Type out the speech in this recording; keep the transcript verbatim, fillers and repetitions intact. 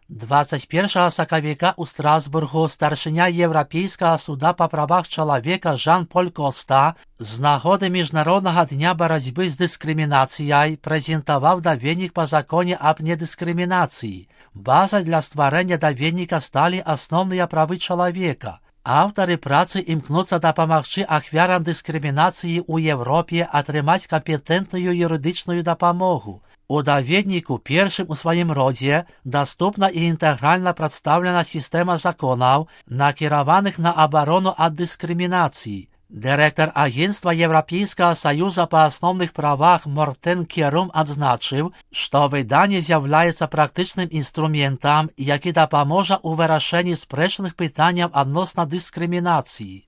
двадцять першого сакавіка у Страсбургу старшыня Еўрапейскага суда па правах чалавека Жан-Поль Коста з нагоды Міжнароднага дня барацьбы з дыскрымінацыяй прэзентаваў даведнік па законе аб недыскрымінацыі. Базай для стварэння даведніка сталі асноўныя правы чалавека. Аўтары працы імкнуцца дапамагчы ахвярам дыскрымінацыі ў Еўропе атрымаць кампетэнтную юрыдычную дапамогу. У даведніку першым у сваім родзе даступна і інтэгральна прадстаўлена сістэма законаў, накіраваных на абарону ад дыскрымінацыі. Дырэктар агенцтва Еўрапейскага саюза па асноўных правах Мортен Керум адзначыў, што выданне з'яўляецца практычным інструментам, які дапаможа ў вырашэнні спрэчных пытанняў адносна дыскрымінацыі.